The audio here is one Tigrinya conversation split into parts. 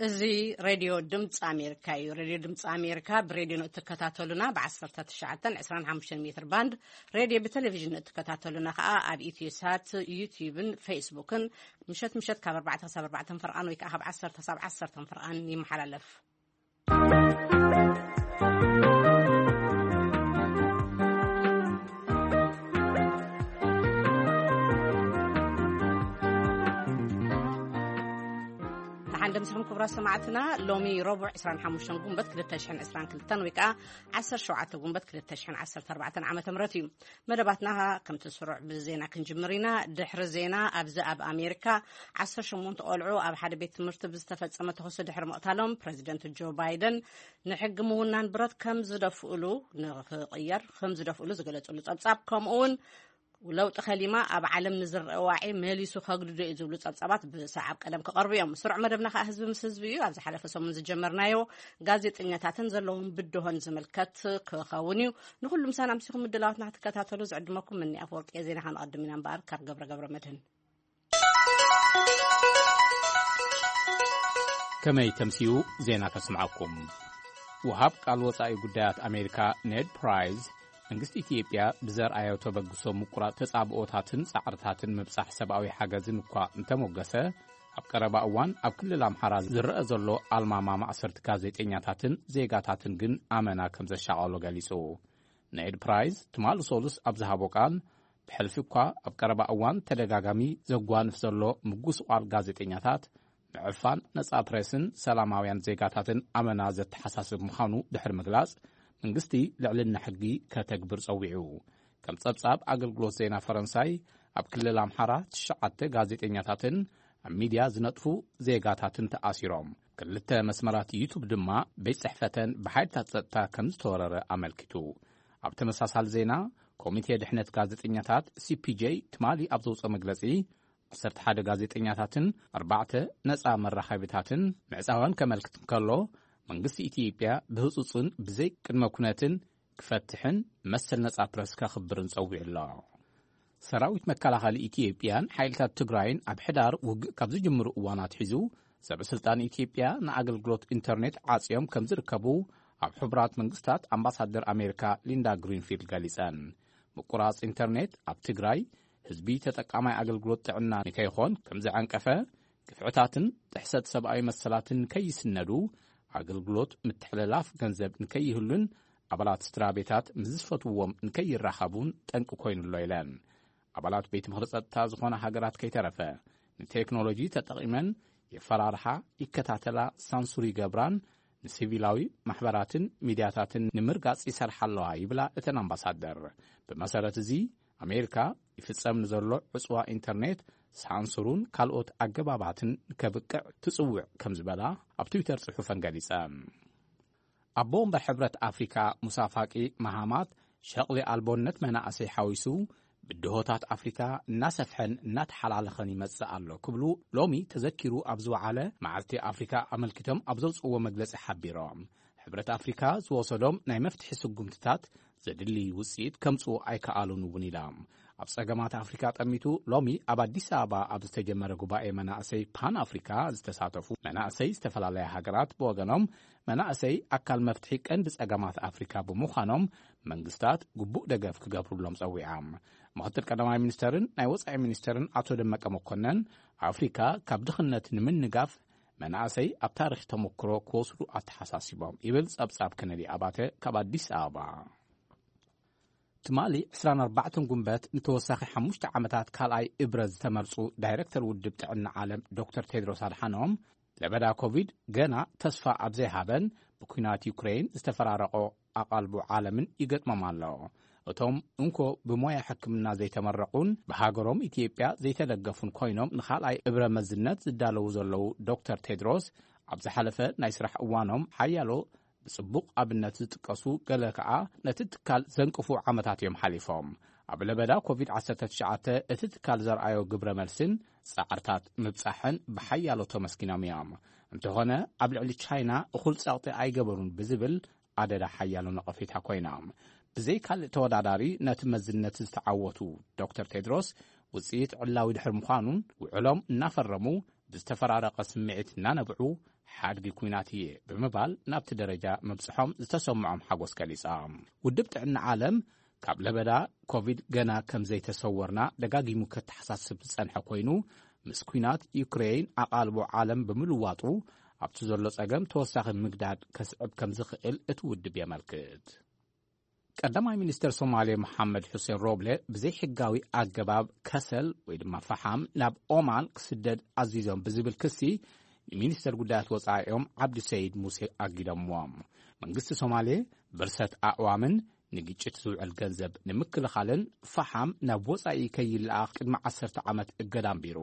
እዚ ሬድዮ ድምፂ ኣሜሪካ እዩ። ሬድዮ ድምፂ ኣሜሪካ ብሬድዮ ንእትከታተሉና ብ19፣ 25 ሜትር ባንድ፣ ሬድዮ ብቴሌቪዥን ንእትከታተሉና ከዓ ኣብ ኢትዮሳት፣ ዩቲዩብን ፌስቡክን ምሸት ምሸት ካብ ኣርባዕተ ክሳብ ኣርባዕተ ፈርቓን ወይ ከዓ ካብ ዓሰርተ ክሳብ ዓሰርተ ፈርቓን ይመሓላለፍ። ደሓን ደምስኹም ክቡራት ሰማዕትና። ሎሚ ረቡዕ ዕስራን ሓሙሽተን ጉንበት ክልተ ሽሕን ዕስራን ክልተን ወይ ከዓ ዓሰርተ ሸውዓተ ጉንበት ክልተ ሽሕን ዓሰርተ ኣርባዕተን ዓመተ ምህረት እዩ። መደባትና ከምቲ ስሩዕ ብዜና ክንጅምር ኢና። ድሕሪ ዜና፣ ኣብዚ ኣብ ኣሜሪካ ዓሰርተ ሸሞንተ ቆልዑ ኣብ ሓደ ቤት ትምህርቲ ብዝተፈጸመ ተኹሲ ድሕሪ ምቕታሎም፣ ፕረዚደንት ጆ ባይደን ንሕጊ ምውናን ብረት ከም ዝደፍእሉ ንኽቕየር ከም ዝደፍእሉ ዝገለጽሉ ጸብጻብ፣ ከምኡ እውን ለውጢ ከሊማ ኣብ ዓለም ንዝረአ ዋዒ መሊሱ ከግድዶ እዩ ዝብሉ ጸብጻባት ብሰዓብ ቀደም ክቐርቡ እዮም። ስሩዕ መደብና ከኣ ህዝቢ ምስ ህዝቢ እዩ። ኣብ ዝሓለፈ ሰሙን ዝጀመርናዮ ጋዜጠኛታትን ዘለዎም ብድሆን ዝምልከት ክኸውን እዩ። ንኹሉ ምሳና ኣምሲኹም ምድላዋትና ክትከታተሉ ዝዕድመኩም ምኒ ኣፈወርቂ እየ። ዜና ከነቐድም ኢና እምበኣር ካብ ገብረ ገብረ መድህን። ከመይ ተምስዩ ዜና ከስምዓኩም። ወሃብ ቃል ወጻኢ ጉዳያት ኣሜሪካ ኔድ ፕራይዝ፣ መንግስቲ ኢትዮጵያ ብዘርኣዮ ተበግሶ ምቁራጽ ተጻብኦታትን ጻዕርታትን ምብጻሕ ሰብኣዊ ሓገዝን እኳ እንተሞገሰ፣ ኣብ ቀረባ እዋን ኣብ ክልል ኣምሓራ ዝረአ ዘሎ ኣልማማ ማእሰርቲ ጋዜጠኛታትን ዜጋታትን ግን ኣመና ከም ዘሻቐሎ ገሊጹ። ኔድ ፕራይዝ ትማሊ ሰሉስ ኣብ ዝሃቦ ቃል፣ ብሕልፊ እኳ ኣብ ቀረባ እዋን ተደጋጋሚ ዘጓንፍ ዘሎ ምጉስቋል ጋዜጠኛታት፣ ምዕፋን ነጻ ፕሬስን ሰላማውያን ዜጋታትን ኣመና ዘተሓሳስብ ምዃኑ ድሕሪ ምግላጽ፣ መንግስቲ ልዕልና ሕጊ ከተግብር ጸዊዑ። ከም ጸብጻብ ኣገልግሎት ዜና ፈረንሳይ፣ ኣብ ክልል ኣምሓራ ትሽዓተ ጋዜጠኛታትን ኣብ ሚድያ ዝነጥፉ ዜጋታትን ተኣሲሮም። ክልተ መስመራት ዩቱብ ድማ ቤት ጽሕፈተን ብሓይልታት ጸጥታ ከም ዝተወረረ ኣመልኪቱ። ኣብ ተመሳሳሊ ዜና፣ ኮሚቴ ድሕነት ጋዜጠኛታት፣ ሲ ፒ ጄ፣ ትማሊ ኣብ ዘውፅኦ መግለጺ፣ ዓሰርተ ሓደ ጋዜጠኛታትን ኣርባዕተ ነጻ መራኸቢታትን ምዕጻወን ከመልክት እንከሎ፣ መንግስቲ ኢትዮጵያ ብህጹጽን ብዘይ ቅድመ ኩነትን ክፈትሕን መሰል ነጻ ፕረስ ከኽብርን ጸዊዑ ኣሎ። ሰራዊት መከላኸሊ ኢትዮጵያን ሓይልታት ትግራይን ኣብ ሕዳር ውግእ ካብ ዝጅምሩ እዋን ኣትሒዙ፣ ሰበ ስልጣን ኢትዮጵያ ንኣገልግሎት ኢንተርኔት ዓጽዮም ከም ዝርከቡ ኣብ ሕቡራት መንግስታት ኣምባሳደር ኣሜሪካ ሊንዳ ግሪንፊልድ ገሊጸን። ምቁራጽ ኢንተርኔት ኣብ ትግራይ ህዝቢ ተጠቃማይ ኣገልግሎት ጥዕና ንከይኾን ከም ዘዐንቀፈ፣ ግፍዕታትን ጥሕሰት ሰብኣዊ መሰላትን ንከይስነዱ፣ ኣገልግሎት ምትሕልላፍ ገንዘብ ንከይህሉን ኣባላት ስድራ ቤታት ምስ ዝፈትውዎም ንከይራኸቡን ጠንቂ ኮይኑ ኣሎ ኢለን። ኣባላት ቤት ምኽሪ ጸጥታ ዝኾና ሃገራት ከይተረፈ፣ ንቴክኖሎጂ ተጠቒመን የፈራርሓ፣ ይከታተላ፣ ሳንሱር ይገብራን ንሲቪላዊ ማሕበራትን ሚድያታትን ንምርጋጽ ይሰርሓ ኣለዋ ይብላ እተን ኣምባሳደር። ብመሰረት እዚ፣ ኣሜሪካ ይፍጸም ንዘሎ ዕጽዋ ኢንተርኔት ሳንሱሩን ካልኦት ኣገባባትን ከብቅዕ ትጽውዕ ከም ዝበላ ኣብ ትዊተር ጽሑፈን ገሊጸን። ኣቦ ወንበር ሕብረት ኣፍሪካ ሙሳ ፋቂ ማሃማት፣ ሸቕሊ ኣልቦነት መናእሰይ ሓዊሱ ብድሆታት ኣፍሪካ እናሰፍሐን እናተሓላለኸን ይመጽእ ኣሎ ክብሉ ሎሚ ተዘኪሩ ኣብ ዝወዓለ መዓልቲ ኣፍሪካ ኣመልኪቶም ኣብ ዘውፅዎ መግለፂ ሓቢሮም። ሕብረት ኣፍሪካ ዝወሰዶም ናይ መፍትሒ ስጉምትታት ዘድሊ ውፅኢት ከምፅኡ ኣይከኣሉን እውን ኢሎም። ኣብ ጸገማት ኣፍሪካ ጠሚቱ ሎሚ ኣብ ኣዲስ ኣበባ ኣብ ዝተጀመረ ጉባኤ መናእሰይ ፓን ኣፍሪካ ዝተሳተፉ መናእሰይ ዝተፈላለያ ሃገራት ብወገኖም፣ መናእሰይ ኣካል መፍትሒ ቀንዲ ጸገማት ኣፍሪካ ብምዃኖም መንግስታት ግቡእ ደገፍ ክገብሩሎም ጸዊዖም። ምኽትል ቀዳማይ ሚኒስተርን ናይ ወጻኢ ሚኒስተርን ኣቶ ደመቀ መኮነን፣ ኣፍሪካ ካብ ድኽነት ንምንጋፍ መናእሰይ ኣብ ታሪኽ ተመክሮ ክወስዱ ኣተሓሳሲቦም ይብል ጸብጻብ ከነዲ ኣባተ ካብ ኣዲስ ኣበባ። ትማሊ ዕስራን ኣርባዕተን ጉንበት ንተወሳኺ ሓሙሽተ ዓመታት ካልኣይ እብረ ዝተመርጹ ዳይሬክተር ውድብ ጥዕና ዓለም ዶክተር ቴድሮስ ኣድሓኖም፣ ለበዳ ኮቪድ ገና ተስፋ ኣብ ዘይሃበን ብኲናት ዩክሬን ዝተፈራረቖ ኣቓልቦ ዓለምን ይገጥሞም ኣሎ። እቶም እንኮ ብሞያ ሕክምና ዘይተመረቑን ብሃገሮም ኢትዮጵያ ዘይተደገፉን ኮይኖም ንኻልኣይ እብረ መዝነት ዝዳለዉ ዘለዉ ዶክተር ቴድሮስ፣ ኣብ ዝሓለፈ ናይ ስራሕ እዋኖም ሓያሎ ብጽቡቕ ኣብነት ዝጥቀሱ፣ ገለ ከኣ ነቲ ትካል ዘንቅፉ ዓመታት እዮም ሓሊፎም። ኣብ ለበዳ ኮቪድ ዓሰርተ ትሽዓተ እቲ ትካል ዘርኣዮ ግብረ መልስን ጻዕርታት ምብጻሕን ብሓያሎ ተመስጊኖም እዮም። እንተኾነ፣ ኣብ ልዕሊ ቻይና እኹል ጸቕጢ ኣይገበሩን ብዝብል ኣደዳ ሓያሎ ነቐፌታ ኮይኖም። ብዘይ ካልእ ተወዳዳሪ ነቲ መዝነት ዝተዓወቱ ዶክተር ቴድሮስ፣ ውጽኢት ዕላዊ ድሕሪ ምዃኑን ውዕሎም እናፈረሙ ብዝተፈራረቐ ስምዒት እናነብዑ፣ ሓድጊ ኲናት እየ ብምባል ናብቲ ደረጃ ምብጽሖም ዝተሰምዖም ሓጎስ ገሊጻ። ውድብ ጥዕና ዓለም፣ ካብ ለበዳ ኮቪድ ገና ከም ዘይተሰወርና ደጋጊሙ ከተሓሳስብ ዝጸንሐ ኮይኑ፣ ምስ ኲናት ዩክሬን ኣቓልቦ ዓለም ብምልዋጡ፣ ኣብቲ ዘሎ ጸገም ተወሳኺ ምግዳድ ከስዕብ ከም ዝኽእል እቲ ውድብ የመልክት። ቀዳማይ ሚኒስተር ሶማሌ መሓመድ ሑሴን ሮብለ፣ ብዘይሕጋዊ ኣገባብ ከሰል ወይ ድማ ፈሓም ናብ ኦማን ክስደድ ኣዚዞም ብዝብል ክሲ፣ ንሚኒስተር ጉዳያት ወጻኢኦም ዓብዲ ሰይድ ሙሴ ኣጊዶምዎም። መንግስቲ ሶማሌ፣ ብርሰት ኣዕዋምን ንግጭት ዝውዕል ገንዘብ ንምክልኻልን ፈሓም ናብ ወጻኢ ከይለኣኽ ቅድሚ ዓሰርተ ዓመት እገዳ ኣንቢሩ።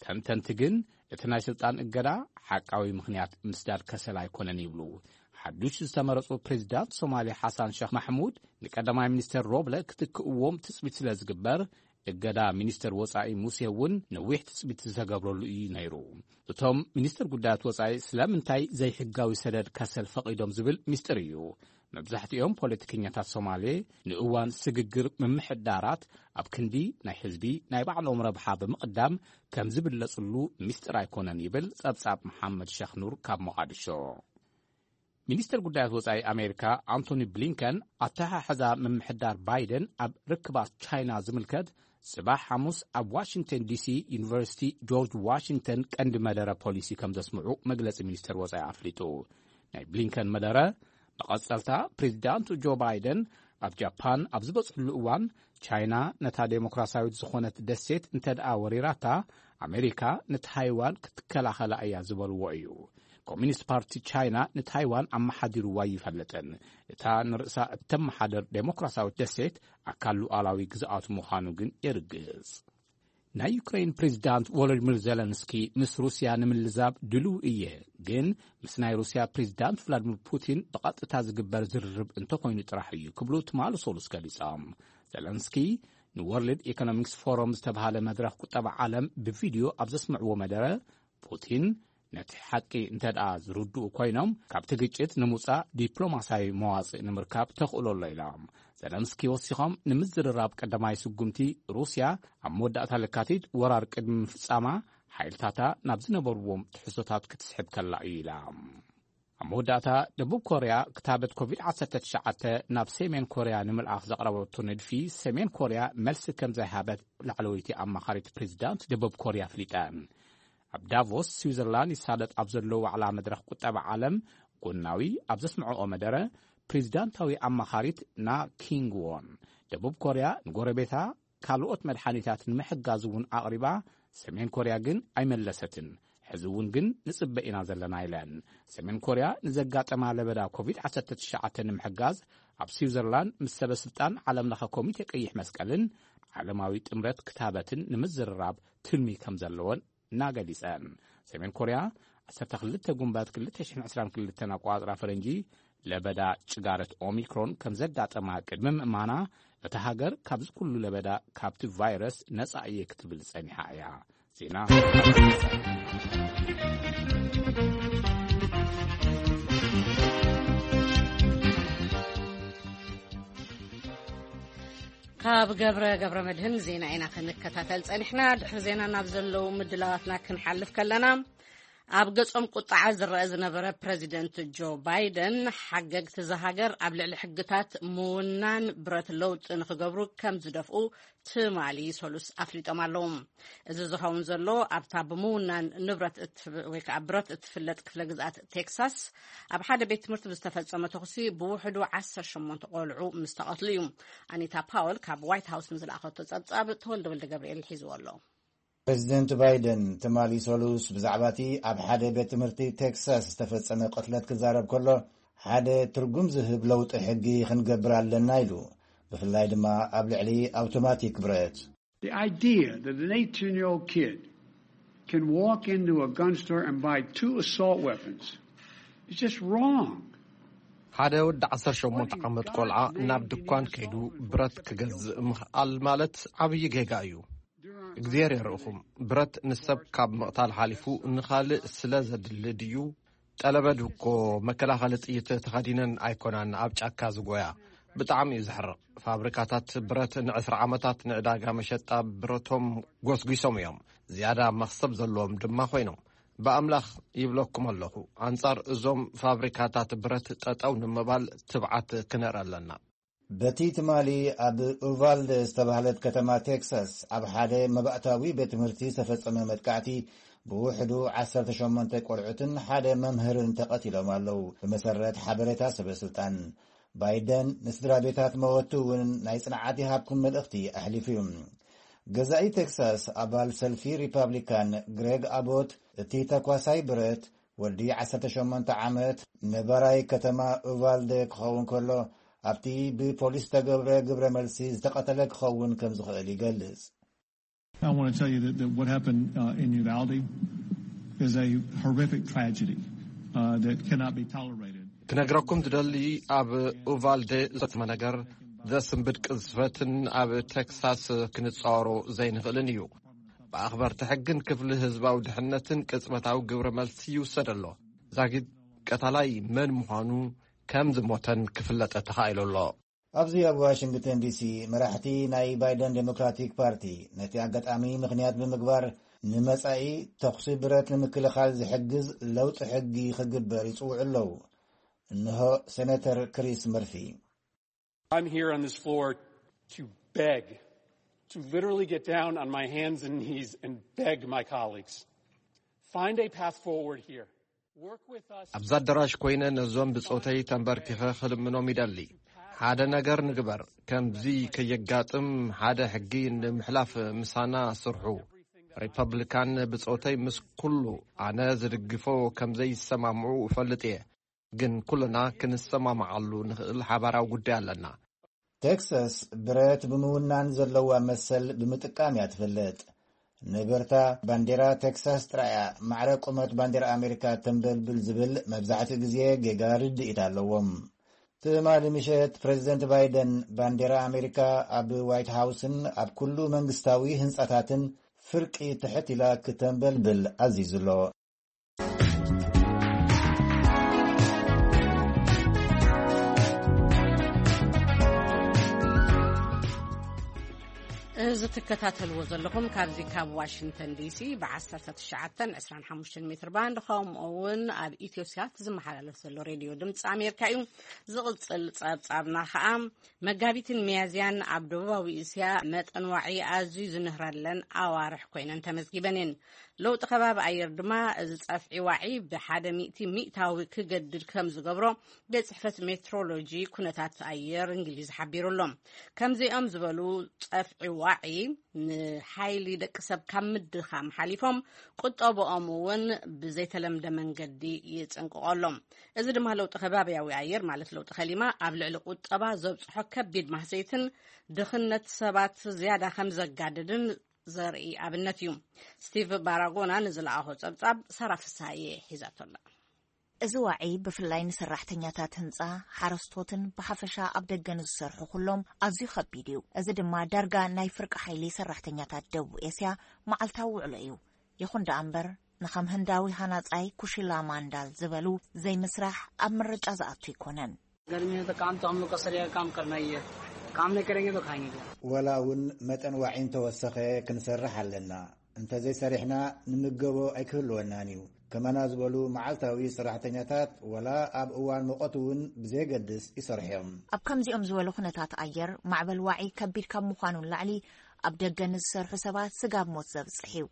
ተንተንቲ ግን፣ እቲ ናይ ስልጣን እገዳ ሓቃዊ ምኽንያት ምስዳድ ከሰል ኣይኮነን ይብሉ። ሓዱሽ ዝተመረጹ ፕሬዚዳንት ሶማሌ ሓሳን ሸኽ ማሕሙድ፣ ንቀዳማይ ሚኒስተር ሮብለ ክትክእዎም ትጽቢት ስለ ዝግበር፣ እገዳ ሚኒስተር ወጻኢ ሙሴ እውን ነዊሕ ትጽቢት ዝተገብረሉ እዩ ነይሩ። እቶም ሚኒስተር ጉዳያት ወጻኢ ስለምንታይ ዘይሕጋዊ ሰደድ ከሰል ፈቒዶም ዝብል ሚስጥር እዩ። መብዛሕትኦም ፖለቲከኛታት ሶማሌ፣ ንእዋን ስግግር ምምሕዳራት ኣብ ክንዲ ናይ ህዝቢ ናይ ባዕሎም ረብሓ ብምቕዳም ከም ዝብለጽሉ ሚስጥር ኣይኮነን ይብል ጸብጻብ መሓመድ ሸኽ ኑር ካብ ሞቓድሾ። ሚኒስተር ጉዳያት ወጻኢ ኣሜሪካ ኣንቶኒ ብሊንከን፣ ኣተሓሕዛ ምምሕዳር ባይደን ኣብ ርክባት ቻይና ዝምልከት፣ ጽባሕ ሓሙስ ኣብ ዋሽንግተን ዲሲ ዩኒቨርሲቲ ጆርጅ ዋሽንግተን ቀንዲ መደረ ፖሊሲ ከም ዘስምዑ መግለጺ ሚኒስተር ወጻኢ ኣፍሊጡ። ናይ ብሊንከን መደረ፣ መቐጸልታ ፕሬዚዳንት ጆ ባይደን ኣብ ጃፓን ኣብ ዝበጽሕሉ እዋን፣ ቻይና ነታ ዴሞክራሲያዊት ዝኾነት ደሴት እንተ ደኣ ወሪራታ፣ ኣሜሪካ ንታይዋን ክትከላኸላ እያ ዝበልዎ እዩ። ኮሚኒስት ፓርቲ ቻይና ንታይዋን ኣመሓዲርዋ ኣይፈልጥን። እታ ንርእሳ እተመሓደር ዴሞክራሲያዊት ደሴት ኣካል ሉዓላዊ ግዝኣቱ ምዃኑ ግን የርግጽ። ናይ ዩክሬን ፕሬዚዳንት ቮሎዲሚር ዜለንስኪ፣ ምስ ሩስያ ንምልዛብ ድሉው እየ፣ ግን ምስ ናይ ሩስያ ፕሬዚዳንት ቭላዲሚር ፑቲን ብቐጥታ ዝግበር ዝርርብ እንተኾይኑ ጥራሕ እዩ ክብሉ ትማሊ ሰሉስ ገሊጾም። ዜለንስኪ፣ ንወርልድ ኢኮኖሚክስ ፎረም ዝተባህለ መድረኽ ቁጠባ ዓለም ብቪድዮ ኣብ ዘስምዕዎ መደረ፣ ፑቲን ነቲ ሓቂ እንተ ደኣ ዝርድኡ ኮይኖም፣ ካብቲ ግጭት ንምውጻእ ዲፕሎማስያዊ መዋጽእ ንምርካብ ተኽእሎ ኣሎ ኢሎም። ዘለንስኪ ወሲኾም፣ ንምዝርራብ ቀዳማይ ስጉምቲ ሩስያ ኣብ መወዳእታ ለካቲት ወራር ቅድሚ ምፍጻማ፣ ሓይልታታ ናብ ዝነበርዎም ትሕዝቶታት ክትስሕብ ከላ እዩ ኢላ። ኣብ መወዳእታ፣ ደቡብ ኮርያ ክታበት ኮቪድ ዓሰርተ ትሽዓተ ናብ ሰሜን ኮርያ ንምልኣኽ ዘቕረበቶ ንድፊ፣ ሰሜን ኮርያ መልሲ ከም ዘይሃበት ላዕለወይቲ ኣማኻሪት ፕሬዚዳንት ደቡብ ኮርያ ኣፍሊጠን። ኣብ ዳቮስ ስዊዘርላንድ ይሳለጥ ኣብ ዘሎ ዋዕላ መድረኽ ቁጠባ ዓለም፣ ጎናዊ ኣብ ዘስምዐኦ መደረ፣ ፕሬዚዳንታዊ ኣማኻሪት ና ኪንግ ዎን፣ ደቡብ ኮርያ ንጎረቤታ ካልኦት መድሓኒታት ንምሕጋዝ እውን ኣቕሪባ፣ ሰሜን ኮርያ ግን ኣይመለሰትን። ሕዚ እውን ግን ንጽበ ኢና ዘለና ኢለን። ሰሜን ኮርያ ንዘጋጠማ ለበዳ ኮቪድ ዓሰርተ ትሽዓተ ንምሕጋዝ፣ ኣብ ስዊዘርላንድ ምስ ሰበ ስልጣን ዓለም ለኸ ኮሚቴ ቀይሕ መስቀልን ዓለማዊ ጥምረት ክታበትን ንምዝርራብ ትልሚ ከም ዘለወን እናገሊጸን። ሰሜን ኮርያ፣ ዓሰርተ ክልተ ጉንበት ክልተ ሽሕን ዕስራን ክልተን ኣቋጽራ ፈረንጂ፣ ለበዳ ጭጋረት ኦሚክሮን ከም ዘጋጠማ ቅድሚ ምእማና፣ እታ ሃገር ካብዚ ኩሉ ለበዳ፣ ካብቲ ቫይረስ ነጻ እየ ክትብል ጸኒሓ እያ። ዜና። ካብ ገብረ፣ ገብረ መድህን ዜና ኢና ክንከታተል ጸኒሕና። ድሕሪ ዜና ናብ ዘለዉ ምድላዋትና ክንሓልፍ ከለና፣ ኣብ ገጾም ቁጥዓ ዝረአ ዝነበረ ፕረዚደንት ጆ ባይደን፣ ሓገግቲ እዛ ሃገር ኣብ ልዕሊ ሕግታት ምውናን ብረት ለውጢ ንኽገብሩ ከም ዝደፍኡ ትማሊ ሰሉስ ኣፍሊጦም ኣለዉ። እዚ ዝኸውን ዘሎ፣ ኣብታ ብምውናን ንብረት እትፍ-፣ ወይ ከዓ ብረት እትፍለጥ ክፍለ ግዝኣት ቴክሳስ፣ ኣብ ሓደ ቤት ትምህርቲ ብዝተፈጸመ ተኹሲ ብውሕዱ ዓሰርተ ሸሞንተ ቆልዑ ምስ ተቐትሉ እዩ። ኣኒታ ፓወል ካብ ዋይት ሃውስ ንዝለኣኸቶ ጸብጻብ፣ ተወልደ ወልደ ገብርኤል ሒዝዎ ኣሎ። ፕሬዚደንት ባይደን ትማሊ ሰሉስ ብዛዕባ እቲ ኣብ ሓደ ቤት ትምህርቲ ቴክሳስ ዝተፈጸመ ቅትለት ክዛረብ ከሎ፣ ሓደ ትርጉም ዝህብ ለውጢ ሕጊ ክንገብር ኣለና ኢሉ፣ ብፍላይ ድማ ኣብ ልዕሊ ኣውቶማቲክ ብረት። The idea that an eighteen-year-old kid can walk into a gun store and buy two assault weapons is just wrong. ሓደ ወዲ ዓሰርተ ሸሞንተ ዓመት ቆልዓ ናብ ድኳን ከይዱ ብረት ክገዝእ ምኽኣል ማለት ዓብዪ ጌጋ እዩ። እግዚኣብሔር የርእኹም። ብረት ንሰብ ካብ ምቕታል ሓሊፉ ንኻልእ ስለ ዘድሊ ድዩ? ጠለበድ እኮ መከላኸሊ ጥይት ተኸዲነን ኣይኮናን ኣብ ጫካ ዝጎያ። ብጣዕሚ እዩ ዘሕርቕ። ፋብሪካታት ብረት ንዕስራ ዓመታት ንዕዳጋ መሸጣ ብረቶም ጎስጒሶም እዮም። ዝያዳ መኽሰብ ዘለዎም ድማ ኮይኖም። ብኣምላኽ ይብለኩም ኣለኹ፣ ኣንጻር እዞም ፋብሪካታት ብረት ጠጠው ንምባል ትብዓት ክነርኢ ኣለና። በቲ ትማሊ ኣብ ኡቫልደ ዝተባህለት ከተማ ቴክሳስ ኣብ ሓደ መባእታዊ ቤት ትምህርቲ ዝተፈጸመ መጥቃዕቲ ብውሕዱ ዓሰርተ ሸሞንተ ቆልዑትን ሓደ መምህርን ተቐቲሎም ኣለዉ። ብመሰረት ሓበሬታ ሰበ ስልጣን፣ ባይደን ንስድራ ቤታት መወቲ እውን ናይ ጽንዓት ይሃብኩም መልእኽቲ ኣሕሊፉ እዩ። ገዛኢ ቴክሳስ ኣባል ሰልፊ ሪፓብሊካን ግሬግ ኣቦት፣ እቲ ተኳሳይ ብረት ወዲ ዓሰርተ ሸሞንተ ዓመት ነባራይ ከተማ ኡቫልደ ክኸውን ከሎ፣ ኣብቲ ብፖሊስ ዝተገብረ ግብረ መልሲ ዝተቐተለ ክኸውን ከም ዝኽእል ይገልጽ። I want to tell you that, that what happened uh, in Uvalde is a horrific tragedy uh, that cannot be tolerated. ክነግረኩም ዝደሊ፣ ኣብ ኡቫልደ ዘጋጠመ ነገር ዘስንብድ ቅዝፈትን ኣብ ቴክሳስ ክንጻወሮ ዘይንኽእልን እዩ። ብኣኽበርቲ ሕግን ክፍሊ ህዝባዊ ድሕነትን ቅጽበታዊ ግብረ መልሲ ይውሰድ ኣሎ። ዛጊት ቀታላይ መን ምዃኑ ከም ዝሞተን ክፍለጠ ተኻኢሉ ኣሎ። ኣብዚ ኣብ ዋሽንግተን ዲሲ፣ መራሕቲ ናይ ባይደን ዴሞክራቲክ ፓርቲ ነቲ ኣጋጣሚ ምኽንያት ብምግባር፣ ንመጻኢ ተኹሲ ብረት ንምክልኻል ዝሕግዝ ለውጢ ሕጊ ክግበር ይጽውዑ ኣለዉ። እንሆ ሴነተር ክሪስ መርፊ። I'm here on this floor to beg, to literally get down on my hands and knees and beg my colleagues, find a path forward here. Work with us. ኣብዚ ኣዳራሽ ኮይነ ነዞም ብጾተይ ተንበርኪኸ ክልምኖም ይደሊ። ሓደ ነገር ንግበር። ከምዚ ከየጋጥም ሓደ ሕጊ ንምሕላፍ ምሳና ስርሑ። ሪፐብሊካን ብጾተይ ምስ ኩሉ ኣነ ዝድግፎ ከም ዘይሰማምዑ እፈልጥ እየ። ግን ኩልና ክንሰማማዓሉ ንኽእል ሓባራዊ ጉዳይ ኣለና። ቴክሳስ ብረት ብምውናን ዘለዋ መሰል ብምጥቃም እያ ትፍለጥ። ንብርታ፣ ባንዴራ ቴክሳስ ጥራይ እያ ማዕረ ቁመት ባንዴራ ኣሜሪካ ተንበልብል ዝብል መብዛሕትኡ ግዜ ጌጋ ርድኢት ኣለዎም። ትማሊ ምሸት ፕሬዚደንት ባይደን ባንዴራ ኣሜሪካ ኣብ ዋይት ሃውስን ኣብ ኩሉ መንግስታዊ ህንጻታትን ፍርቂ ትሕት ኢላ ክተንበልብል ኣዚዙ ኣሎ። እዚ ትከታተልዎ ዘለኹም ካብዚ ካብ ዋሽንግተን ዲሲ ብ19 25 ሜትር ባንድ ከምኡ እውን ኣብ ኢትዮሳት ዝመሓላለፍ ዘሎ ሬድዮ ድምፂ ኣሜሪካ እዩ። ዝቕፅል ፀብፃብና ከዓ መጋቢትን ሚያዝያን ኣብ ደቡባዊ እስያ መጠን ዋዒ ኣዝዩ ዝንህረለን ኣዋርሕ ኮይነን ተመዝጊበን እየን። ለውጢ ከባቢ ኣየር ድማ እዚ ጸፍዒ ዋዒ ብሓደ ሚእቲ ሚእታዊ ክገድድ ከም ዝገብሮ ቤት ጽሕፈት ሜትሮሎጂ ኩነታት ኣየር እንግሊዝ ሓቢሩ ኣሎ። ከምዚኦም ዝበሉ ጸፍዒ ዋዒ ንሓይሊ ደቂ ሰብ ካብ ምድኻም ሓሊፎም ቁጠብኦም እውን ብዘይተለምደ መንገዲ ይጽንቅቆ ኣሎ። እዚ ድማ ለውጢ ከባብያዊ ኣየር ማለት ለውጢ ከሊማ ኣብ ልዕሊ ቁጠባ ዘብጽሖ ከቢድ ማህሰይትን ድኽነት ሰባት ዝያዳ ከም ዘጋድድን ዘርኢ ኣብነት እዩ። ስቲቭ ባራጎና ንዝለኣኾ ጸብጻብ ሳራ ፍስሃየ ሒዛቶ ኣላ። እዚ ዋዒ ብፍላይ ንሰራሕተኛታት ህንጻ፣ ሓረስቶትን ብሓፈሻ ኣብ ደገ ንዝሰርሑ ኩሎም ኣዝዩ ከቢድ እዩ። እዚ ድማ ዳርጋ ናይ ፍርቂ ሓይሊ ሰራሕተኛታት ደቡብ ኤስያ መዓልታዊ ውዕሎ እዩ። ይኹን ደኣ እምበር ንኸም ህንዳዊ ሃናጻይ ኩሺላ ማንዳል ዝበሉ ዘይምስራሕ ኣብ ምርጫ ዝኣቱ ኣይኮነን። गर्मी में तो काम तो हम लोग का सरेगा काम करना ही है। काम नहीं करेंगे तो खाएंगे क्या? ወላ እውን መጠን ዋዒ እንተወሰኸ ክንሰርሕ ኣለና። እንተዘይሰሪሕና ንምገቦ ኣይክህልወናን እዩ። ከማና ዝበሉ መዓልታዊ ሰራሕተኛታት ወላ ኣብ እዋን ሙቐት እውን ብዘየገድስ ይሰርሑ እዮም። ኣብ ከምዚኦም ዝበሉ ኩነታት ኣየር ማዕበል ዋዒ ከቢድ ካብ ምዃኑ ንላዕሊ ኣብ ደገ ንዝሰርሑ ሰባት ስጋብ ሞት ዘብጽሕ እዩ።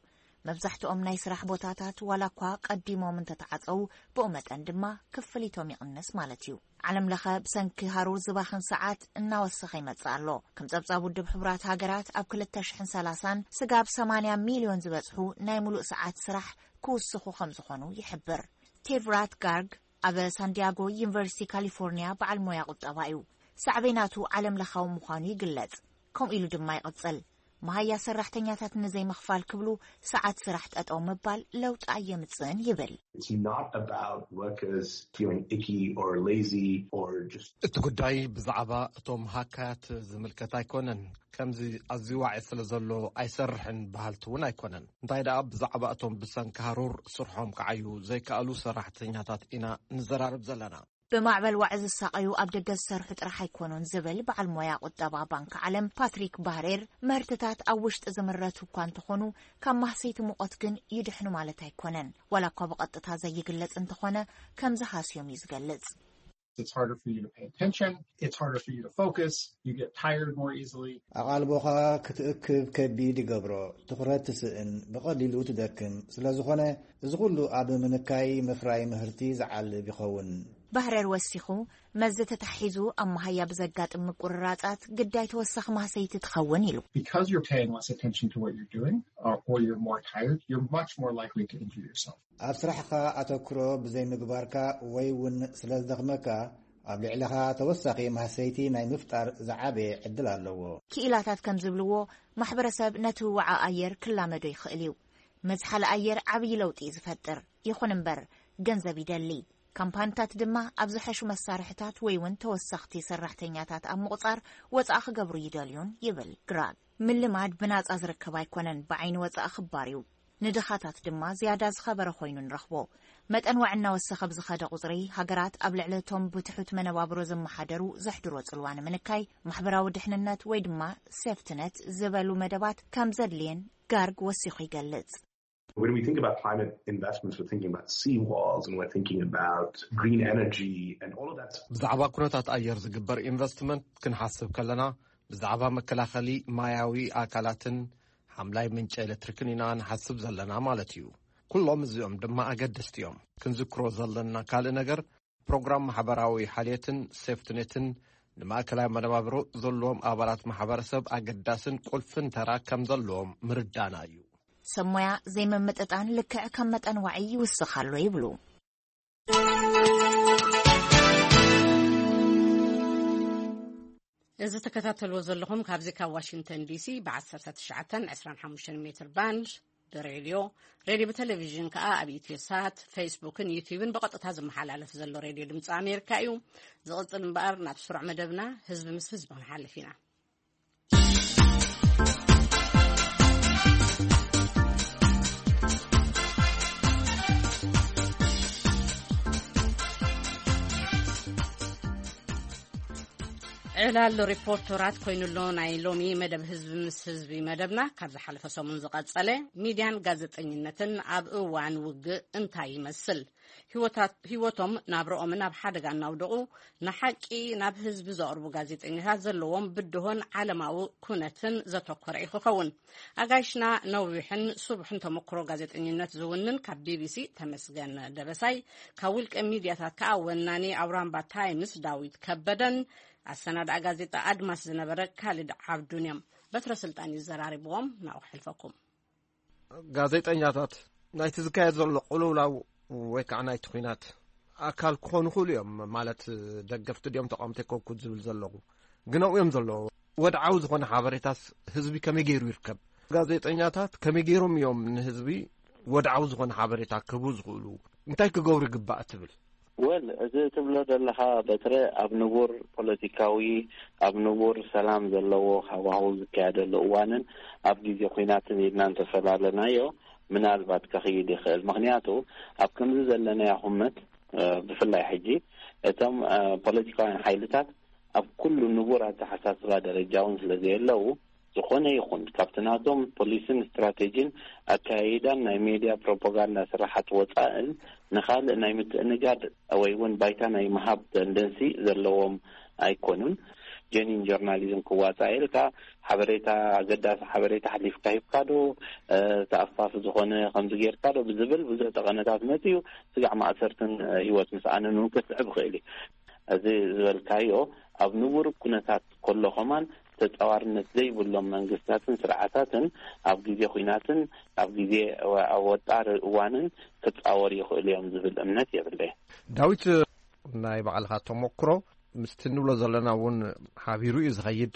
መብዛሕትኦም ናይ ስራሕ ቦታታት ዋላ እኳ ቀዲሞም እንተተዓጸዉ ብኡ መጠን ድማ ክፍሊቶም ይቕንስ ማለት እዩ። ዓለም ለኸ ብሰንኪ ሃሩር ዝባኽን ሰዓት እናወሰኸ ይመጽእ ኣሎ። ከም ጸብጻብ ውድብ ሕቡራት ሃገራት ኣብ ክልተ ሽሕን ሰላሳን ስጋብ ሰማንያ ሚልዮን ዝበጽሑ ናይ ሙሉእ ሰዓት ስራሕ ክውስኹ ከም ዝኾኑ ይሕብር። ቴቭራት ጋርግ ኣብ ሳንዲያጎ ዩኒቨርሲቲ ካሊፎርኒያ በዓል ሞያ ቁጠባ እዩ። ሳዕቤናቱ ዓለም ለኻዊ ምዃኑ ይግለጽ። ከምኡ ኢሉ ድማ ይቕጽል። መሃያ ሰራሕተኛታት ንዘይምኽፋል ክብሉ ሰዓት ስራሕ ጠጠው ምባል ለውጢ ኣየምጽእን ይብል። It's not about workers feeling icky or lazy or just እቲ ጉዳይ ብዛዕባ እቶም ሃካያት ዝምልከት ኣይኮነን። ከምዚ ኣዝዩ ዋዒ ስለ ዘሎ ኣይሰርሕን በሃልቲ እውን ኣይኮነን። እንታይ ደኣ ብዛዕባ እቶም ብሰንኪ ሃሩር ስርሖም ክዓዩ ዘይከኣሉ ሰራሕተኛታት ኢና ንዘራረብ ዘለና። ብማዕበል ዋዒ ዝሳቐዩ ኣብ ደገ ዝሰርሑ ጥራሕ ኣይኮኑን ዝብል በዓል ሞያ ቁጠባ ባንክ ዓለም ፓትሪክ ባህሬር፣ ምህርትታት ኣብ ውሽጢ ዝምረቱ እኳ እንተኾኑ፣ ካብ ማህሰይቲ ሙቐት ግን ይድሕኑ ማለት ኣይኮነን። ዋላ እኳ ብቐጥታ ዘይግለጽ እንተኾነ፣ ከምዚ ሃስዮም እዩ ዝገልጽ። It's harder for you to pay attention. It's harder for you to focus. You get tired more easily. ኣቓልቦኻ ክትእክብ ከቢድ ይገብሮ። ትኹረት ትስእን፣ ብቐሊሉ ትደክም። ስለ ዝኾነ፣ እዚ ኩሉ ኣብ ምንካይ ምፍራይ ምህርቲ ዝዓልብ ይኸውን። ባህረር ወሲኹ፣ መዚ ተታሒዙ ኣብ መሃያ ብዘጋጥም ምቁርራጻት ግዳይ ተወሳኺ ማህሰይቲ ትኸውን ኢሉ። Because you're paying less attention to what you're doing, uh, or you're more tired, you're much more likely to injure yourself. ኣብ ስራሕኻ ኣተኩሮ ብዘይምግባርካ ወይ እውን ስለ ዝደኽመካ፣ ኣብ ልዕለኻ ተወሳኺ ማህሰይቲ ናይ ምፍጣር ዝዓበየ ዕድል ኣለዎ። ክኢላታት ከም ዝብልዎ፣ ማሕበረሰብ ነቲ ህዋዓ ኣየር ክላመዶ ይኽእል እዩ። መዝሓሊ ኣየር ዓብዪ ለውጢ እዩ ዝፈጥር። ይኹን እምበር፣ ገንዘብ ይደሊ። ካምፓኒታት ድማ ኣብ ዝሐሹ መሳርሕታት ወይ እውን ተወሰኽቲ ሰራሕተኛታት ኣብ ምቑጻር ወጻኢ ክገብሩ ይደልዩን ይብል ግራግ። ምልማድ ብናጻ ዝርከብ ኣይኮነን፣ ብዓይኒ ወጻኢ ክባር እዩ። ንድኻታት ድማ ዝያዳ ዝኸበረ ኮይኑ ንረኽቦ። መጠን ዋዒ እናወሰኸ ብዝኸደ ቁጽሪ፣ ሃገራት ኣብ ልዕሊ እቶም ብትሑት መነባብሮ ዝመሓደሩ ዘሕድሮ ጽልዋ ንምንካይ፣ ማሕበራዊ ድሕንነት ወይ ድማ ሴፍትነት ዝበሉ መደባት ከም ዘድልየን ጋርግ ወሲኹ ይገልጽ። When we think about climate investments, we're thinking about seawalls and we're thinking about green energy and all of that. ብዛዕባ ኩነታት ኣየር ዝግበር ኢንቨስትመንት ክንሓስብ ከለና፣ ብዛዕባ መከላኸሊ ማያዊ ኣካላትን ሓምላይ ምንጪ ኤሌክትሪክን ኢና ንሓስብ ዘለና ማለት እዩ። ኩሎም እዚኦም ድማ ኣገደስቲ እዮም። ክንዝክሮ ዘለና ካልእ ነገር፣ ፕሮግራም ማሕበራዊ ሓልየትን ሴፍትኔትን ንማእከላይ መነባብሮ ዘለዎም ኣባላት ማሕበረሰብ ኣገዳስን ቁልፍን ተራ ከም ዘለዎም ምርዳና እዩ። ሰብ ሞያ ዘይምምጥጣን ልክዕ ከም መጠን ዋዒ ይውስኽ ኣሎ ይብሉ። እዚ ትከታተልዎ ዘለኹም ካብዚ ካብ ዋሽንግተን ዲሲ ብ19 25 ሜትር ባንድ ብሬድዮ፣ ሬድዮ ብቴሌቪዥን ከኣ ኣብ ኢትዮ ሳት፣ ፌስቡክን ዩቲዩብን ብቐጥታ ዝመሓላለፍ ዘሎ ሬድዮ ድምፂ ኣሜሪካ እዩ። ዝቕፅል እምበኣር ናብ ስሩዕ መደብና ህዝቢ ምስ ህዝቢ ክንሓልፍ ኢና። ዕላል ሪፖርተራት ኮይኑሎ ናይ ሎሚ መደብ ህዝቢ ምስ ህዝቢ መደብና ካብ ዝሓለፈ ሰሙን ዝቐጸለ፣ ሚድያን ጋዜጠኝነትን ኣብ እዋን ውግእ እንታይ ይመስል? ህይወታት- ህይወቶም ናብረኦምን ኣብ ሓደጋ እናውደቑ ንሓቂ ናብ ህዝቢ ዘቕርቡ ጋዜጠኛታት ዘለዎም ብድሆን ዓለማዊ ኩነትን ዘተኮረ እዩ ክኸውን። ኣጋይሽና ነዊሕን ስቡሕን ተመክሮ ጋዜጠኝነት ዝውንን ካብ ቢቢሲ ተመስገን ደበሳይ፣ ካብ ውልቀ ሚድያታት ከኣ ወናኒ ኣውራምባ ታይምስ ዳዊት ከበደን ኣሰናድኣ ጋዜጣ ኣድማስ ዝነበረ ካልድ ዓብዱን እዮም። በትረ ስልጣን እዩ ዘራሪብዎም። ናብኡ ክሕልፈኩም። ጋዜጠኛታት ናይቲ ዝካየድ ዘሎ ቅልውላው ወይ ከዓ ናይቲ ኲናት ኣካል ክኾኑ ይኽእሉ እዮም። ማለት ደገፍቲ ድዮም ተቓወምቲ ኣይኮንኩን ዝብል ዘለኹ፣ ግን ኣብኡ እዮም ዘለዉ። ወድዓዊ ዝኾነ ሓበሬታስ ህዝቢ ከመይ ገይሩ ይርከብ? ጋዜጠኛታት ከመይ ገይሮም እዮም ንህዝቢ ወድዓዊ ዝኾነ ሓበሬታ ክህቡ ዝኽእሉ? እንታይ ክገብሩ ይግባእ ትብል? Well፣ እዚ ትብሎ ዘለኻ በትረ ኣብ ንቡር ፖለቲካዊ፣ ኣብ ንቡር ሰላም ዘለዎ ሃዋህው ዝካየደሉ እዋንን ኣብ ግዜ ኲናትን ኢልና እንተፈላለናዮ ምናልባት ከኽይድ ይኽእል። ምኽንያቱ ኣብ ከምዚ ዘለናዮ ኩመት ብፍላይ ሕጂ እቶም ፖለቲካውያን ሓይልታት ኣብ ኩሉ ንቡር ኣተሓሳስባ ደረጃ እውን ስለ ዘየለዉ ዝኾነ ይኹን ካብቲ ናቶም ፖሊስን ስትራቴጂን ኣካያይዳን ናይ ሜድያ ፕሮፓጋንዳ ስራሓት ወፃእን ንኻልእ ናይ ምትእንጋድ ወይ እውን ባይታ ናይ ምሃብ ተንደንሲ ዘለዎም ኣይኮኑን። ጀኒን ጆርናሊዝም ክዋፃእ ኢልካ ሓበሬታ ኣገዳሲ ሓበሬታ ሓሊፍካ ሂብካ ዶ ተኣፋፊ ዝኾነ ከምዚ ጌርካ ዶ ብዝብል ብዙሕ ጠቐነታት መፅኡ ስጋዕ ማእሰርትን ህይወት ምስኣንን እውን ከስዕብ ይኽእል እዩ። እዚ ዝበልካዮ ኣብ ንቡር ኩነታት ከሎ ከማን ተፃዋርነት ዘይብሎም መንግስታትን ስርዓታትን ኣብ ግዜ ኹናትን ኣብ ግዜ ኣብ ወጣሪ እዋንን ክፃወሩ ይኽእሉ እዮም ዝብል እምነት የብለይ። ዳዊት ናይ ባዕልኻ ተመክሮ ምስቲ ንብሎ ዘለና እውን ሓቢሩ እዩ ዝኸይድ።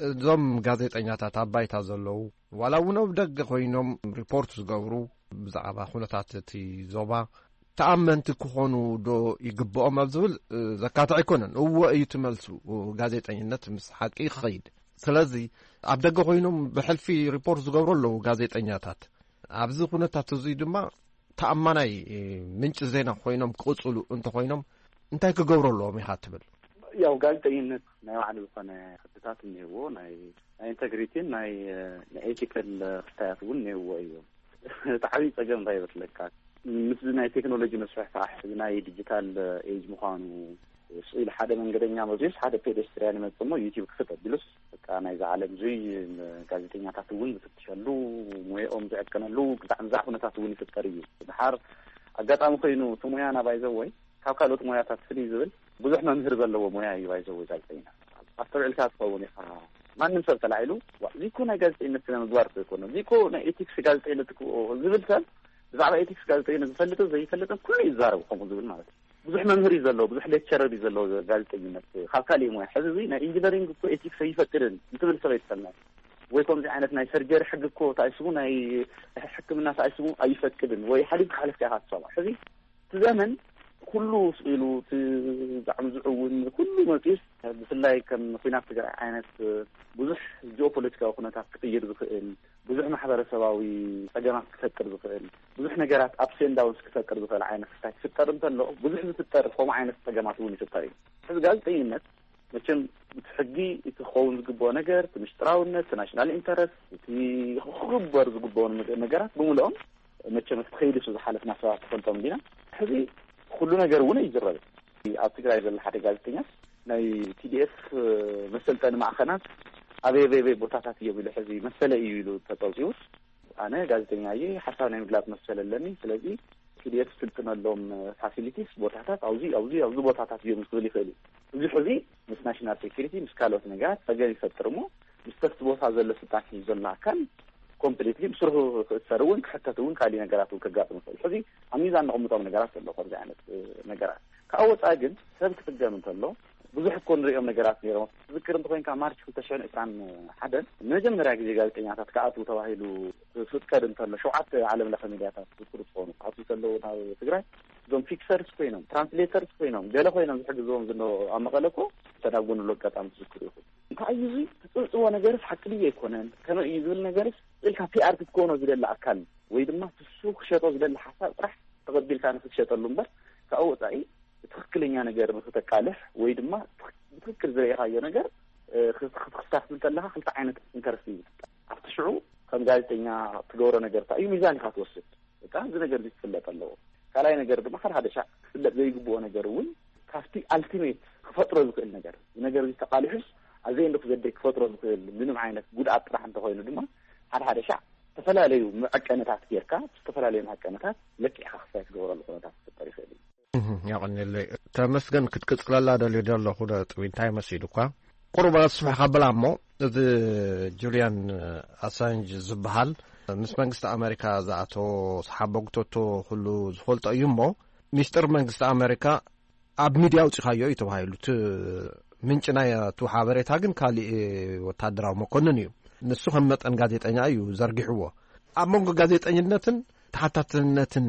እዞም ጋዜጠኛታት ኣብ ባይታ ዘለዉ ዋላ እውን ኣብ ደገ ኮይኖም ሪፖርት ዝገብሩ ብዛዕባ ኩነታት እቲ ዞባ ተኣመንቲ ክኾኑ ዶ ይግብኦም ኣብ ዝብል ዘካትዕ ኣይኮነን። እወ እዩ ትመልሱ። ጋዜጠኝነት ምስ ሓቂ ክኸይድ። ስለዚ ኣብ ደገ ኮይኖም ብሕልፊ ሪፖርት ዝገብሩ ኣለዉ ጋዜጠኛታት። ኣብዚ ኩነታት እዙይ ድማ ተኣማናይ ምንጪ ዜና ኮይኖም ክቕፅሉ እንተኮይኖም እንታይ ክገብሩ ኣለዎም ኢኻ ትብል? ያው ጋዜጠኝነት ናይ ባዕሉ ዝኾነ ሕግታት እኒህዎ፣ ናይ ናይ ኢንተግሪቲን ናይ ናይ ኤቲካል ክስታያት እውን እኒህዎ እዮም። እቲ ዓብዪ ፀገም እንታይ ይመስለካ? ምስዚ ናይ ቴክኖሎጂ መስፋሕፋሕ፣ እዚ ናይ ዲጂታል ኤጅ ምዃኑ፣ ስኢል ሓደ መንገደኛ መፅዩስ ሓደ ፔደስትሪያን ይመፅእ እሞ ዩቲዩብ ክፍት ኣቢሉስ በቃ ናይዚ ዓለም እዙይ ጋዜጠኛታት እውን ዝፍትሸሉ፣ ሞያኦም ዝዕቀነሉ ብጣዕሚ ዛዕ ኩነታት እውን ይፍጠር እዩ። ድሓር ኣጋጣሚ ኮይኑ እቲ ሞያና ባይዘወይ ካብ ካልኦት ሞያታት ፍልይ ዝብል ብዙሕ መምህር ዘለዎ ሞያ እዩ ባይዘወይ ጋዜጠኛ። ኣስተውዒልካ ትኸውን ኢኻ። ማንም ሰብ ተላዒሉ እዚ እኮ ናይ ጋዜጠኝነት ስነ ምግባር እኮ ይኮነ፣ እዚ እኮ ናይ ኤቲክስ ጋዜጠኝነት እኮ ዝብል ሰብ ብዛዕባ ኤቲክስ ጋዜጠኝነት ዝፈልጥን ዘይፈልጥን ኩሉ ይዛረብ ከምኡ ዝብል ማለት እዩ። ብዙሕ መምህር እዩ ዘለዎ፣ ብዙሕ ሌክቸረር እዩ ዘለዎ ጋዜጠኝነት ካብ ካሊእ ሞያ። ሕዚ እዚ ናይ ኢንጂነሪንግ እኮ ኤቲክስ ኣይፈቅድን እንትብል ሰብ ኣይትሰምዕ ወይ ከምዚ ዓይነት ናይ ሰርጀሪ ሕጊ እኮ ተኣይስቡ ናይ ሕክምና ተኣይስቡ ኣይፈቅድን ወይ ሓሊፍ ክሓለፍካ ኢኻ ትሰምዖ። ሕዚ እቲ ዘመን ኩሉ ስኢሉ እቲ ብጣዕሚ ዝዕውን ኩሉ መፂኡስ ብፍላይ ከም ኩናት ትግራይ ዓይነት ብዙሕ ጂኦፖለቲካዊ ኩነታት ክቅይር ዝኽእል ብዙሕ ማሕበረሰባዊ ፀገማት ክፈጥር ዝኽእል ብዙሕ ነገራት ኣፕስ ኤንድ ዳውንስ ክፈጥር ዝኽእል ዓይነት ክስታይ ክፍጠር እንተሎ ብዙሕ ዝፍጠር ከምኡ ዓይነት ፀገማት እውን ይፍጠር እዩ። ሕዚ ጋዜጠኝነት መቸም እቲ ሕጊ እቲ ክኸውን ዝግብኦ ነገር እቲ ምሽጥራውነት እቲ ናሽናል ኢንተረስት እቲ ክግበር ዝግብኦ ነገራት ብምልኦም መቸም እቲ ከይዲ እሱ ዝሓለፍና ሰባት ትፈልጦም እንዲና። ሕዚ ኩሉ ነገር እውን ኣይዝረብ። ኣብ ትግራይ ዘሎ ሓደ ጋዜጠኛ ናይ ቲዲኤፍ መሰልጠኒ ማእኸናት ኣበይ ኣበይ ኣበይ ቦታታት እዮም ኢሉ ሕዚ መሰለ እዩ ኢሉ ተፀውፂውስ ኣነ ጋዜጠኛ እየ ሓሳብ ናይ ምግላፅ መሰል ኣለኒ ስለዚ ቲዲኤፍ ስልጥነሎም ፋሲሊቲስ ቦታታት ኣብዚ ኣብዚ ኣብዚ ቦታታት እዮም ክብል ይኽእል እዩ። እዚ ሕዚ ምስ ናሽናል ሴኪሪቲ ምስ ካልኦት ነገራት ፀገም ይፈጥር እሞ ምስ ተፍቲ ቦታ ዘሎ ስልጣን ሒዙ ዘሎ ኣካል ኮምፕሊትሊ ብስርሑ ክእሰር እውን ክሕተት እውን ካሊእ ነገራት እውን ከጋጥም ይኽእል። ሕዚ ኣብ ሚዛን ነቕምጦም ነገራት ዘሎ ከምዚ ዓይነት ነገራት ካብ ወፃኢ ግን ሰብ ክፅገም እንተሎ ብዙሕ እኮ ንሪኦም ነገራት ነይሮም። ትዝክር እንተኮይንካ ማርች ክልተ ሽሕን ዕስራን ሓደን ንመጀመርያ ግዜ ጋዜጠኛታት ክኣትዉ ተባሂሉ ክፍቀድ እንተሎ ሸውዓተ ዓለም ለኸ ሚድያታት ዝዝክሩ ትኾኑ ክኣትዉ ከለዉ ናብ ትግራይ እዞም ፊክሰርስ ኮይኖም ትራንስሌተርስ ኮይኖም ገለ ኮይኖም ዝሕግዝዎም ዝነበሩ ኣብ መቐለ እኮ ተዳጎንሉ ኣጋጣሚ ትዝክሩ ኢኹም። እንታይ እዩ እዚ ትፅብፅቦ ነገርስ ሓቂ ድዩ ኣይኮነን ከመይ እዩ ዝብል ነገርስ ኢልካ ፒኣር ክትኮኖ ዝደሊ ኣካል ወይ ድማ ትሱ ክሸጦ ዝደሊ ሓሳብ ጥራሕ ተቐቢልካ ንክትሸጠሉ እምበር ካብ ወፃኢ ትኽክለኛ ነገር ንክተቃልሕ ወይ ድማ ብትክክል ዝረኢኻዮ ነገር ክትክታፍ እንተለካ ክልተ ዓይነት ኢንተረስት እዩ ዝፍጠር። ኣብቲ ሽዑ ከም ጋዜጠኛ ትገብሮ ነገር እንታይ እዩ ሚዛን ኢካ ትወስድ። በቃ እዚ ነገር እዚ ክፍለጥ ኣለዎ። ካልኣይ ነገር ድማ ሓደ ሓደ ሻዕ ክፍለጥ ዘይግብኦ ነገር እውን ካብቲ ኣልቲሜት ክፈጥሮ ዝኽእል ነገር እዚ ነገር እዚ ተቃሊሑስ ኣዘይ እንዶ ክዘደይ ክፈጥሮ ዝኽእል ምንም ዓይነት ጉድኣት ጥራሕ እንተኮይኑ ድማ ሓደ ሓደ ሻዕ ዝተፈላለዩ መዐቀነታት ጌርካ ዝተፈላለዩ መዐቀነታት ለኪዕካ ክሳይ ትገብረሉ ኩነታት ክፍጠር ይኽእል እዩ። ያቐኒለይ ተመስገን ክትቅፅለላ ደልዩ ዘለኹ ነጥቢ እንታይ መሲሉ እኳ ቁሩብ ኣስፍሕ ከብላ እሞ እዚ ጁልያን ኣሳንጅ ዝበሃል ምስ መንግስቲ ኣሜሪካ ዝኣተዎ ሓቦግተቶ ኩሉ ዝፈልጦ እዩ እሞ ሚስጥር መንግስቲ ኣሜሪካ ኣብ ሚድያ ኣውፂኻዮ እዩ ተባሂሉ እቲ ምንጭ ናይ እቲ ሓበሬታ ግን ካሊእ ወታደራዊ መኮንን እዩ። ንሱ ከም መጠን ጋዜጠኛ እዩ ዘርጊሕዎ። ኣብ መንጎ ጋዜጠኝነትን ተሓታትነትን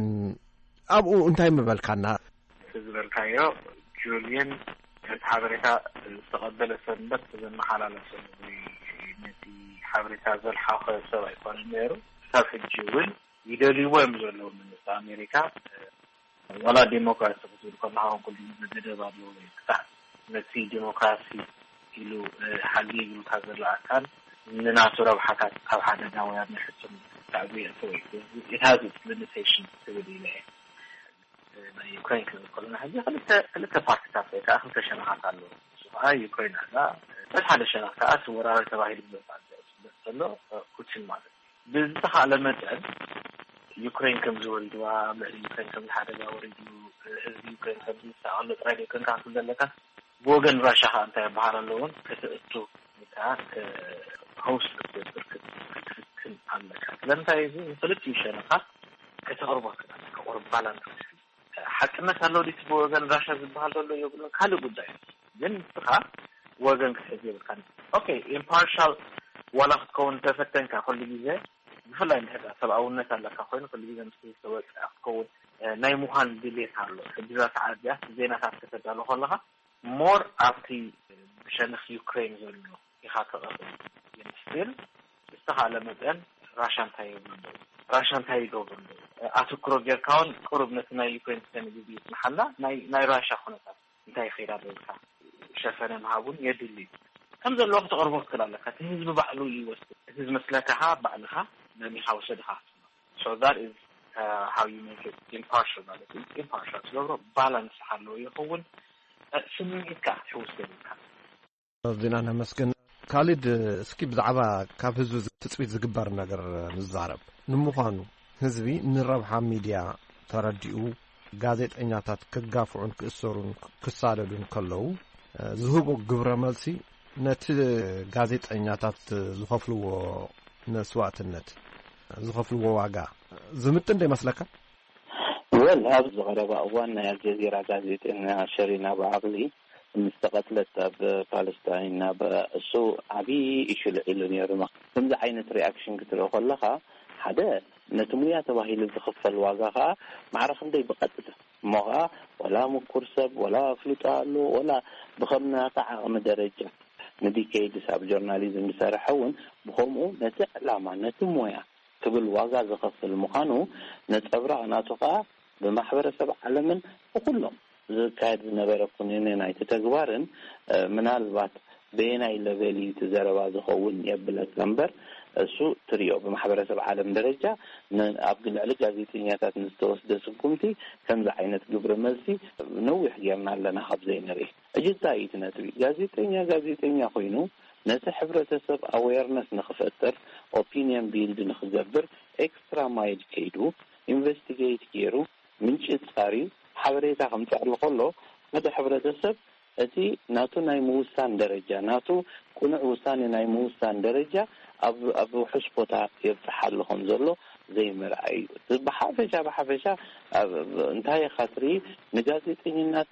ኣብኡ እንታይ ምበልካና? እቲ ዝበልካዮ ጁልየን ነቲ ሓበሬታ ዝተቐበለ ሰብ እምበር ዘመሓላለፈ ወይ ነቲ ሓበሬታ ዘልሓኸ ሰብ ኣይኮነን ነይሩ። ክሳብ ሕጂ እውን ይደልይዎ እዮም ዘለዉ መንግስቲ ኣሜሪካ። ዋላ ዴሞክራሲ ክትብል ከለኻ እውን ኩሉ ግዜ ገደብ ኣለዎ። ክሳዕ ነቲ ዴሞክራሲ ኢሉ ሓልየ ዝብልካ ዘሎ ኣካል ንናቱ ረብሓታት ኣብ ሓደጋ ወይ ኣብ ናይ ሕሱም ሳዕቤን የእትዎ እዩ። It has its limitations ትብል ኢለ እየ። ናይ ዩክሬን ክንብል ከለና ሕጂ ክልተ ክልተ ፓርቲታት ወይ ከዓ ክልተ ሸነኻት ኣለዉ። ንሱ ከዓ ዩክሬን ኣላ። በቲ ሓደ ሸነኽ ከዓ እቲ ወራሪ ተባሂሉ ዝመፅእ ኣሎ ፑቲን ማለት እዩ። ብዝተኻእለ መጠን ዩክሬን ከም ዝወሪድዋ ኣብ ልዕሊ ዩክሬን ከም ዝሓደጋ ወሪዱ ህዝቢ ዩክሬን ከም ዝሳቐሎ ጥራይ ደይኮንካ ክትብል ዘለካ ብወገን ራሻ ከዓ እንታይ ይበሃል ኣለውን ከተእቱ ወይ ከዓ ሆስት ክትገብር ክትፍትን ኣለካ። ስለምንታይ እዚ ንክልቲኡ ሸነኻ ከተቕርቦ ትኽእል ኣለካ ቁርብ ባላንስ ክትብል ሓቅነት ኣሎ ዲቲ ብወገን ራሻ ዝበሃል ዘሎ የብሉን ካልእ ጉዳይ ግን ንስኻ ወገን ክትሕዝ የብልካ። ኦኬ ኢምፓርሻል ዋላ ክትከውን ተፈተንካ ኩሉ ግዜ ብፍላይ እንድሕር ሰብኣውነት ኣለካ ኮይኑ ኩሉ ግዜ ምስ ዝተወፅኣ ክትከውን ናይ ምዃን ድሌት ኣሎ። ሕጂ እዛ ሰዓት እዚኣ ዜናታት ከተዳሉ ከለካ ሞር ኣብቲ ብሸነክ ዩክሬን ዘሎ ኢኻ ተቐርብ ግን ስቲል ብዝተኻእለ መጠን ራሻ እንታይ የብሉ ኣለዉ ራሻ እንታይ ይገብሩ ኣለዉ ኣትኩሮ ጌርካ እውን ቅሩብ ነቲ ናይ ዩክሬን ክሰኒ ግዜ ይፅንሓልና ናይ ራሻ ኩነታት እንታይ ይኸይድ ኣሎ ኢልካ ሸፈነ ምሃብ እውን የድሊ እዩ። ከም ዘለዎ ክትቐርቦ ትኽእል ኣለካ። እቲ ህዝቢ ባዕሉ እዩ ይወስድ። እቲ ዝመስለካ ኸዓ ባዕልኻ መሚኻ ውሰድኻ። So that is, uh, how you make it impartial ማለት እዩ። Impartial ትገብሮ ባላንስ ኣለዎ ይኸውን። ስምዒትካ ክትሕውስ የብልካ። ዜና ነመስግን። ካሊድ፣ እስኪ ብዛዕባ ካብ ህዝቢ ትጽቢት ዝግበር ነገር ንዛረብ። ንምዃኑ ህዝቢ ንረብሓ ሚድያ ተረዲኡ ጋዜጠኛታት ክጋፍዑን ክእሰሩን ክሳደዱን ከለዉ ዝህቦ ግብረ መልሲ ነቲ ጋዜጠኛታት ዝኸፍልዎ መስዋእትነት፣ ዝኸፍልዎ ዋጋ ዝምጥን ዶ ይመስለካ? ወል ኣብዚ ቀረባ እዋን ናይ ኣልጀዚራ ጋዜጠኛ ሸሪና ብዓቕሊ ምስ ተቐትለት ኣብ ፓለስታይን ናብ እሱ ዓብዪ ኢሹ ልዒሉ ነይሩ። ከምዚ ዓይነት ሪኣክሽን ክትርኢ ከለኻ ሓደ ነቲ ሙያ ተባሂሉ ዝኽፈል ዋጋ ከዓ ማዕረ ክንደይ ብቐጥታ እሞ ከዓ ወላ ምኩር ሰብ ወላ ኣፍልጦ ኣሎ ወላ ብኸም ናታ ዓቕሚ ደረጃ ንዲኬይድስ ኣብ ጆርናሊዝም ዝሰርሐ እውን ብኸምኡ ነቲ ዕላማ ነቲ ሞያ ትብል ዋጋ ዝኸፍል ምዃኑ ነጸብራቕ ናቱ ከኣ ብማሕበረሰብ ዓለምን ብኹሎም ዝካየድ ዝነበረ ኩነኔ ናይቲ ተግባርን ምናልባት በየናይ ለቨል እዩ እቲ ዘረባ ዝኸውን የብለካ እምበር እሱ ትሪኦ ብማሕበረሰብ ዓለም ደረጃ ኣብ ልዕሊ ጋዜጠኛታት ንዝተወስደ ስጉምቲ ከምዚ ዓይነት ግብረ መልሲ ነዊሕ ጌርና ኣለና ካብ ዘይንርኢ። እጅታ እዩ እቲ ነጥቢ። ጋዜጠኛ ጋዜጠኛ ኮይኑ ነቲ ሕብረተሰብ ኣዌርነስ ንክፈጥር ኦፒንየን ቢልድ ንክገብር ኤክስትራ ማይል ከይዱ ኢንቨስቲጌት ገይሩ ምንጪ ፃርዩ ሓበሬታ ከምፅዕሉ ከሎ ሓደ ሕብረተሰብ እቲ ናቱ ናይ ምውሳን ደረጃ ናቱ ቁኑዕ ውሳኔ ናይ ምውሳን ደረጃ ኣብ ኣብ ውሑስ ቦታ የብፅሓሉ ከም ዘሎ ዘይምርኣይ እዩ። ብሓፈሻ ብሓፈሻ እንታይ ኢኻ ትርኢ ንጋዜጠኝነት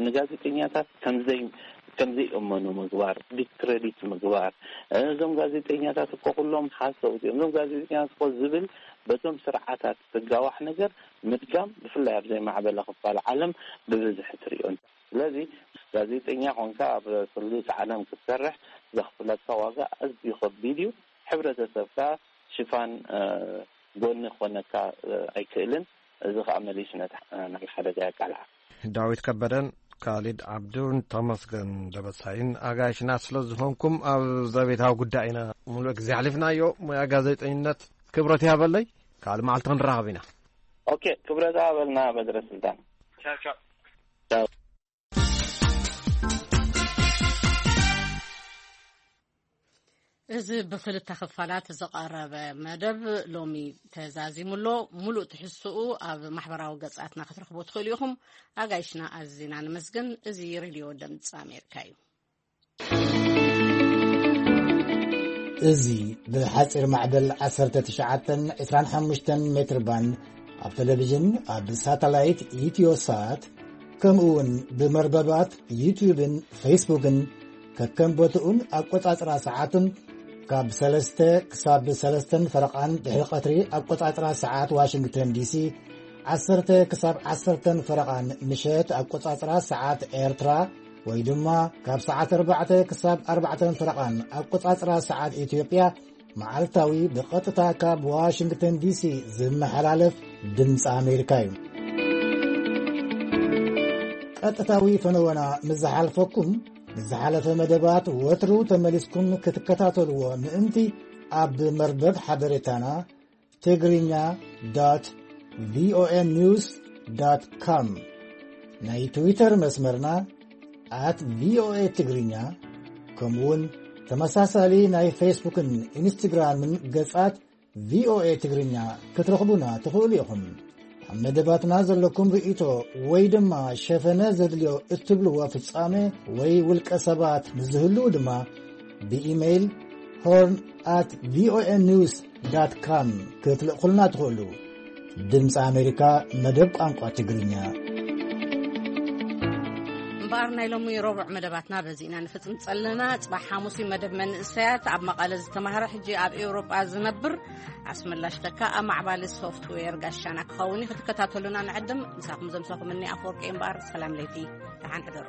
ንጋዜጠኛታት ከምዘይ ከምዘይእመኑ ምግባር ዲስክሬዲት ምግባር እዞም ጋዜጠኛታት እኮ ኩሎም ሓሰውቲ እዮም እዞም ጋዜጠኛታት እኮ ዝብል በቶም ስርዓታት ዝጋዋሕ ነገር ምድጋም ብፍላይ ኣብ ዘይማዕበለ ክፋል ዓለም ብብዝሒ ትሪኦ። ስለዚ ጋዜጠኛ ኮንካ ኣብ ስሉስ ዓለም ክትሰርሕ ዘኽፍለካ ዋጋ ኣዝዩ ከቢድ እዩ። ሕብረተሰብካ ሽፋን ጎኒ ክኾነካ ኣይክእልን። እዚ ከዓ መሊሱ ነቲ ናይ ሓደጋ የቃልዓ። ዳዊት ከበደን ካሊድ ዓብዱን ተመስገን ደበሳይን ኣጋይሽና ስለ ዝኾንኩም ኣብ ዘቤታዊ ጉዳይ ኢና ሙሉእ ግዜ ኣሕሊፍናዮ። ሙያ ጋዜጠኝነት ክብረት ይሃበለይ። ካልእ መዓልቲ ክንራኸብ ኢና። ኦኬ፣ ክብረት ይሃበልና በድረ ስልጣን። ቻው ቻው። እዚ ብክልተ ክፋላት ዝቐረበ መደብ ሎሚ ተዛዚሙ ኣሎ። ሙሉእ ትሕዝትኡ ኣብ ማሕበራዊ ገጻትና ክትረኽቦ ትኽእሉ ኢኹም። ኣጋይሽና ኣዚና ንመስግን። እዚ ሬድዮ ድምፂ ኣሜሪካ እዩ። እዚ ብሓፂር ማዕበል ዓሰርተ ትሽዓተን ዕስራን ሓሙሽተን ሜትር ባንድ ኣብ ቴሌቪዥን ኣብ ሳተላይት ኢትዮ ሳት ከምኡ እውን ብመርበባት ዩትዩብን ፌስቡክን ከከም ቦትኡን ኣቆጻጽራ ሰዓቱን ካብ ሰለስተ ክሳብ ሰለስተን ፈረቓን ድሕሪ ቀትሪ ኣቆጻጽራ ሰዓት ዋሽንግተን ዲሲ ዓሰርተ ክሳብ ዓሰርተን ፈረቓን ምሸት ኣቆጻጽራ ሰዓት ኤርትራ ወይ ድማ ካብ ሰዓት ኣርባዕተ ክሳብ ኣርባዕተን ፈረቓን ኣቆጻጽራ ሰዓት ኢትዮጵያ መዓልታዊ ብቐጥታ ካብ ዋሽንግተን ዲሲ ዝመሓላለፍ ድምፂ ኣሜሪካ እዩ። ቀጥታዊ ፈነወና ምስ ዝሓልፈኩም ንዝሓለፈ መደባት ወትሩ ተመሊስኩም ክትከታተልዎ ምእንቲ ኣብ መርበብ ሓበሬታና ትግርኛ ዶት ቪኦኤ ኒውስ ዶት ኮም ናይ ትዊተር መስመርና ኣት ቪኦኤ ትግርኛ ከምኡውን ተመሳሳሊ ናይ ፌስቡክን ኢንስትግራምን ገጻት ቪኦኤ ትግርኛ ክትረኽቡና ትኽእሉ ኢኹም። ኣብ መደባትና ዘለኩም ርእይቶ ወይ ድማ ሸፈነ ዘድልዮ እትብልዎ ፍጻሜ ወይ ውልቀ ሰባት ምስ ዝህልዉ ድማ ብኢሜይል ሆርን ኣት ቪኦኤ ኒውስ ዳት ካም ክትልእኹልና ትኽእሉ። ድምፂ ኣሜሪካ መደብ ቋንቋ ትግርኛ። እምበኣር ናይ ሎሚ ረቡዕ መደባትና በዚ ኢና ንፍጽም ጸለና። ጽባሕ ሓሙሲ መደብ መንእሰያት ኣብ መቐለ ዝተማህረ ሕጂ ኣብ ኤውሮጳ ዝነብር ኣስመላሽ ተካ ኣብ ማዕባሊ ሶፍትዌር ጋሻና ክኸውን እዩ። ክትከታተሉና ንዕድም። ምሳኹም ዘምሰኹም እኒ ኣፈወርቂ እምበኣር ሰላም ለይቲ ደሓን ሕደሩ።